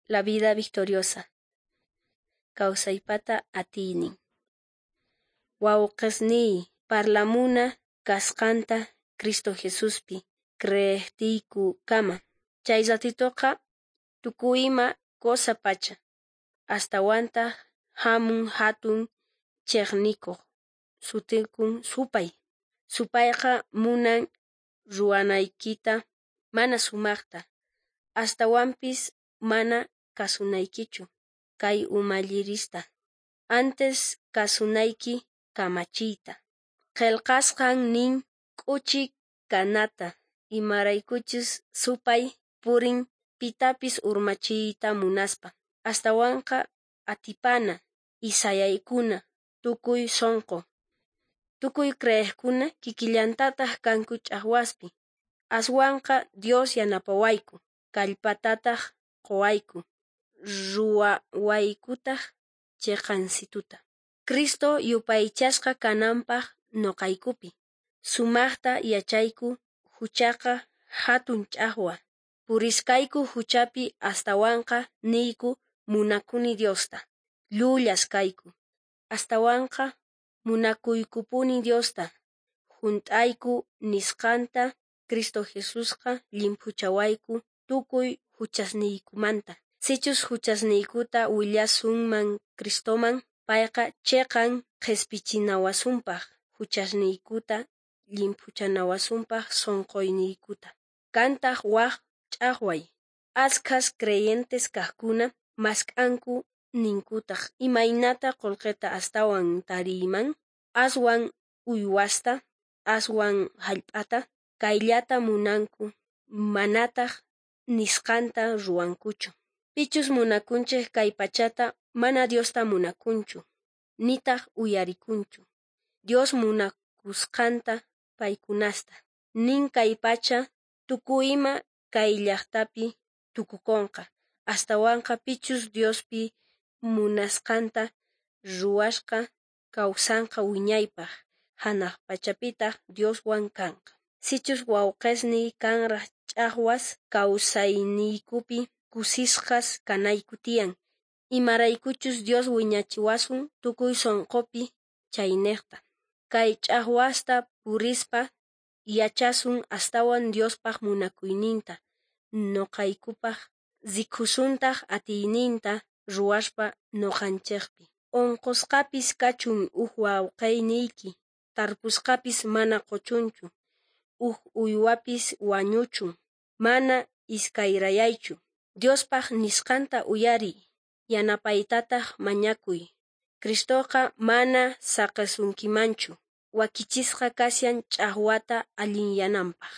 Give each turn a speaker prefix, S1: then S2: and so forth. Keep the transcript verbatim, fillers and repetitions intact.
S1: La vida victoriosa. Kawsaypata atiynin. Wawqesniy, parlamuna kasqanta Cristo Jesuspi creejtiykukama. Chay ratitoqa tukuy ima cosa pacha. Astawantaj jamun jatun chejnikoj sutikun supay. Supayqa munan ruwanaykita mana sumajta, astawanpis mana kasunaykichu kay umallirista. Antes kasunayki kamachiyta. Qhelqasqan nin k'uchi kanata, imaraykuchus supay purin pitapis urmachiyta munaspa. Astawanqa atipana y sayaykuna tukuy sonqo. Tukuy creejkuna kikillantataj kanku ch'ajwaspi. Aswanqa Dios yanapawayku, kallpatataj qowayku, ruwawaykutaj cheqansituta. Cristo yupaychasqa kananpaj noqaykupi. Sumajta yachayku huchaqa jatun ch'ajwa. Purisqayku huchapi astawanqa niyku munakuni Diosta. Llullas kayku. Astawanqa munakuykupuni Diosta. Junt'ayku nisqanta Cristo Jesusqa llimphuchawayku tukuy huchasniykumanta. Sichus huchasniykuta willasunman Cristoman, payqa cheqan qhespichinawasunpaj huchasniykuta llimphuchanawasunpaj sonqoyniykuta. Kantaj waj ch'ajway. Ashkhas creyentes kajkuna mask'anku ninkutaj imaynata qolqeta astawan tariyman, aswan uywasta, aswan jallp'ata, kayllata munanku, manataj nisqanta ruwankuchu. Pichus munakunchej kay pachata mana Diosta munakunchu, nitaj uyarikunchu. Dios munakusqanta paykunasta. Nin kay pacha tukuy ima kay llajtapi tukukonqa. Astawanqa pichus Diospi munasqanta ruwasqa kawsanqa wiñaypaj, janaj pachapitaj Dioswan kanqa. Sichus wawqesniy kanraj ch'ajwas kawsayniykupi kusisqas kanayku tiyan, imaraykuchus Dios wiñachiwasun tukuy sonqopi chaynejta. Kay ch'ajwasta purispa yachasun astawan Diospaj munakuyninta noqaykupaj, rikusuntaj atiyninta ruwaspa noqanchejpi. Onqosqapis kachun uj wawqeyniyki, tarpusqapis mana qochunchu, uj uywapis wañuchun, mana iskayrayaychu. Diospaj nisqanta uyariy, yanapaytataj mañakuy. Cristoqa mana saqesunkimanchu, wakichisqa kashan ch'ajwata allinyananpaj.